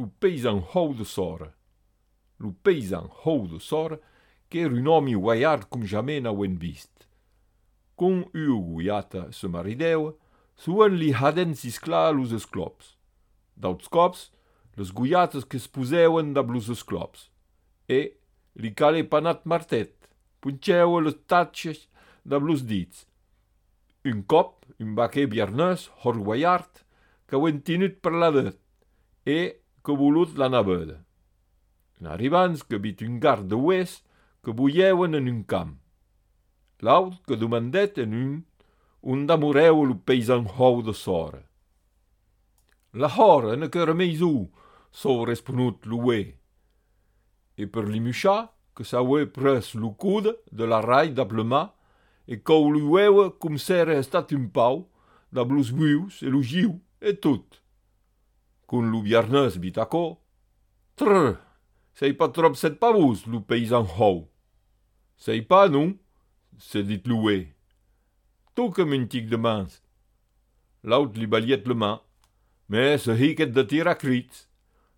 lo paysan hou de sora. Lo paysan hou de sora, qu'era un homme guaiard com jamais n'auen vist. Con guiata se marideua, suen li haden s'isclar los esclops. D'auts cops, les guiates que es poseuen da blos esclops. E li cale panat martet, punceua les tatxes da blos dits. Un cop, un baquer biarnès, hor guaiard, qu'auen tinut per la det, e que volut la naveda. En arribans que vit un gard de hues que buieuen en un camp. L'aut que demandet en un damoreu lo paysan hou de sora. La hora ne qu'era meisù, so responut lo hue. E per limuchar, que s'aue pres lo coude de la rai d'aplema, e qu'au lo ueua com s'era estat un pau, da blos vius e lo giu, e tot. Con lo biarnès bitacò, trrr, sei pas trop set pavus, lo paysan hou. Sei pas, non? Se dit lo hue. Tu que mentic de mans. L'aut li baliet le man, mais se hiquet de tir a crits.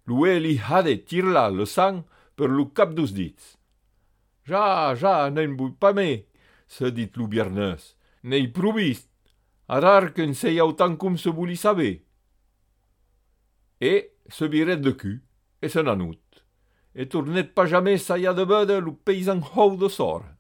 Lo hue li hade tirla le sang per lo cap dos dits. Ja, n'en vull pas me, se dit lo biarnès. N'ei provist, arar qu'en sei autant com se voli saber. E se viret de cul, e se n'anut. E tornet pas jamais saia de vede lo paysan hou de sora.